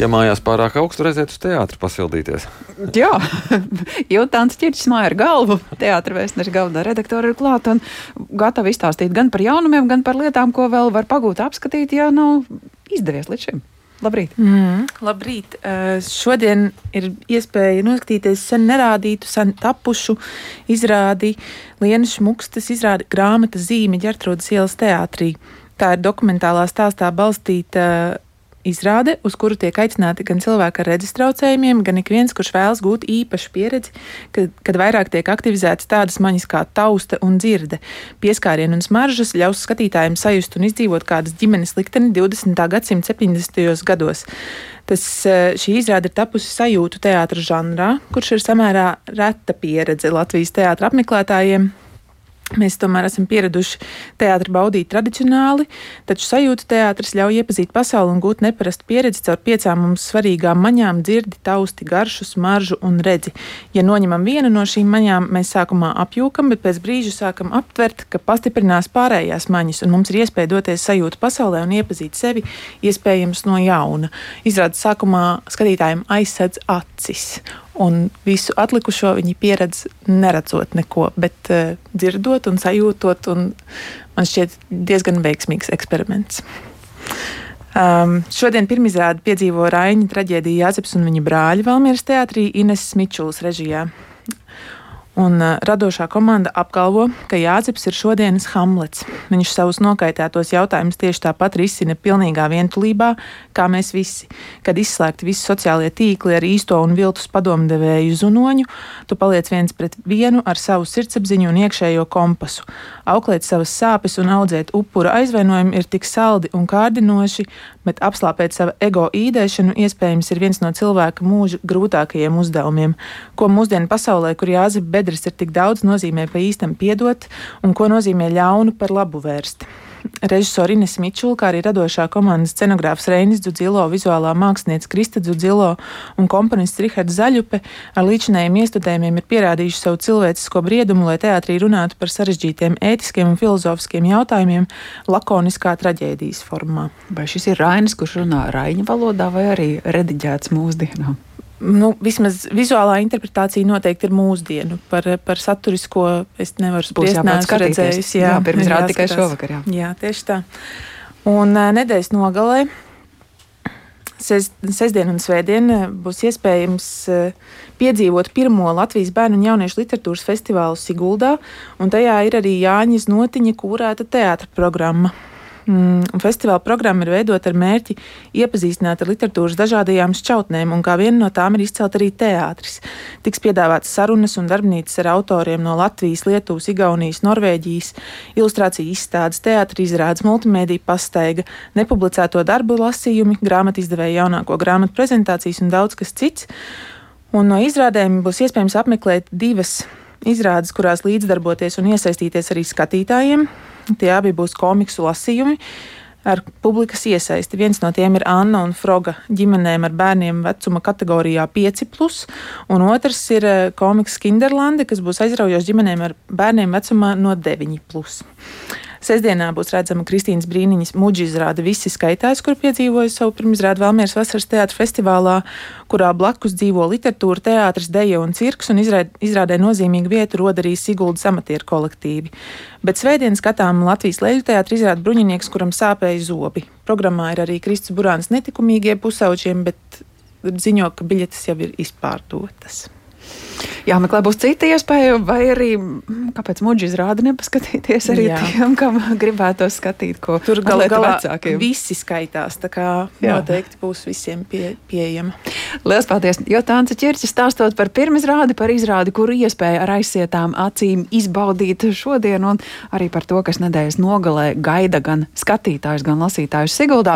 Ja mājās pārāk augstu, aiziet uz teātri pasildīties. Jā, jo Tāns Ķirķis māja ar galvu, teātra vēstneša galvenā redaktora ir klāta un gatava izstāstīt gan par jaunumiem, gan par lietām, ko vēl var pagūt apskatīt, ja nav izdevies līdz šim. Labrīt! Labrīt! Šodien ir iespēja noskatīties sen nerādītu, sen tapušu izrādi Lienas Šmukstes izrādi Grāmata zīme Ģertrūdes ielas teātrī. Tā ir dokumentālā stāstā balstīta izrāde, uz kuru tiek aicināti gan cilvēki ar redzes traucējumiem, gan ik viens, kurš vēlas gūt īpašu pieredzi, kad vairāk tiek aktivizētas tādas maņas kā tausta un dzirde. Pieskārieni un smaržas ļaus skatītājiem sajust un izdzīvot kādas ģimenes likteni 20. gadsimta 70. gados. Šī izrāde ir tapusi sajūtu teātra žanrā, kurš ir samērā reta pieredze Latvijas teātra apmeklētājiem. Mēs tomēr esam pieraduši teātri baudīt tradicionāli, taču sajūtu teātris ļauj iepazīt pasauli un gūt neparastu pieredzi caur 5 mums svarīgām maņām - dzirdi, tausti, garšu, smaržu un redzi. Ja noņemam vienu no šīm maņām, mēs sākumā apjūkam, bet pēc brīža sākam aptvert, ka pastiprinās pārējās maņas, un mums ir iespēja doties sajūtu pasaulē un iepazīt sevi iespējams no jauna. Izrādes sākumā skatītājiem aizsedz acis. Un visu atlikušo viņi pieredz neredzot neko, bet dzirdot un sajūtot, un man šķiet diezgan veiksmīgs eksperiments. Šodien pirmizrādi piedzīvo Raiņa traģēdija Jāzeps un viņa brāļi Valmieras teātrī Ineses Mičulas režijā. Un radošā komanda apgalvo, ka Jāzeps ir šodienas Hamlets. Viņš savus nokaitētos jautājumus tieši tāpat risina pilnīgā vientulībā, kā mēs visi. Kad izslēgti visi sociālie tīkli ar īsto un viltus padomdevēju zunoņu, tu paliec viens pret vienu ar savu sirdsapziņu un iekšējo kompasu. Auklēt savas sāpes un audzēt upura aizvainojumu ir tik saldi un kārdinoši, bet apslāpēt savu ego īdēšanu iespējams ir viens no cilvēka mūža grūtākajiem uzdevumiem. Ko mūsdienu pasaulē, kur Jāzepa bedres ir tik daudz, nozīmē pa īstam piedot, un ko nozīmē ļaunu par labu vērst. Režisori Inese Mičula, kā arī radošā komandas scenogrāfs Reinis Dzudzilo, vizuālā mākslinieca Krista Dzudzilo un komponists Rihards Zaļupe ar līdzinējiem iestudējumiem ir pierādījuši savu cilvēcisko briedumu, lai teātrī runātu par sarežģītiem ētiskiem un filozofiskiem jautājumiem lakoniskā traģēdijas formā. Vai šis ir Rainis, kurš runā raiņa valodā vai arī rediģēts mūsdienām? Vismaz vizuālā interpretācija noteikti ir mūsdienu. Par saturisko es nevaru spriest, neesmu redzējis. Jā, pirms rāda tikai šovakar. Jā, tieši tā. Un nedēļas nogalē, sestdien un svētdien, būs iespējams piedzīvot pirmo Latvijas bērnu un jauniešu literatūras festivālu Siguldā, un tajā ir arī Jāņas Notiņa kūrēta teātra programma. Festivāla programma ir veidota ar mērķi iepazīstināt ar literatūras dažādajām šķautnēm, un kā viena no tām ir izcelt arī teātris. Tiks piedāvātas sarunas un darbnīcas ar autoriem no Latvijas, Lietuvas, Igaunijas, Norvēģijas, ilustrāciju izstādes, teātra izrādes, multimēdiju pastaiga, nepublicēto darbu lasījumi, grāmatu izdevēja jaunāko grāmatu prezentācijas un daudz kas cits. Un no izrādēm būs iespējams apmeklēt 2 izrādes, kurās līdzdarboties un iesaistīties arī skatītājiem. Tie abi būs komiksu lasījumi ar publikas iesaisti. Viens no tiem ir Anna un Froga ģimenēm ar bērniem vecuma kategorijā 5+, un otrs ir komiks Kinderlande, kas būs aizraujošs ģimenēm ar bērniem vecumā no 9+. Sestdienā būs redzama Kristīnas Brīniņas muģa izrāde Visi skaitās, kur piedzīvoja savu pirmizrādi Valmieras vasaras teātra festivālā, kurā blakus dzīvo literatūra, teātris, deja un cirks, un izrādē nozīmīgu vietu rod arī Siguldas amatieru kolektīvi. Bet svētdien skatām Latvijas Leļu teātra izrādi Bruņinieks, kuram sāpēja zobi. Programmā ir arī Kristis Burāns Netikumīgie pusauģiem, bet ziņo, ka biļetes jau ir izpārdotas. Jāmeklē būs cita iespēja, vai arī kāpēc muģi izrādi nepaskatīties arī tiem, kam gribētos skatīt, ko tur galā vecākiem. Visi skaitās, tā kā noteikti būs visiem pieejama. Lielas paldies, jo Tāns Ķirķis stāstot par pirmizrādi, par izrādi, kuru iespēja ar aizsietām acīm izbaudīt šodien, un arī par to, kas nedēļas nogalē gaida gan skatītājus, gan lasītājus Siguldā.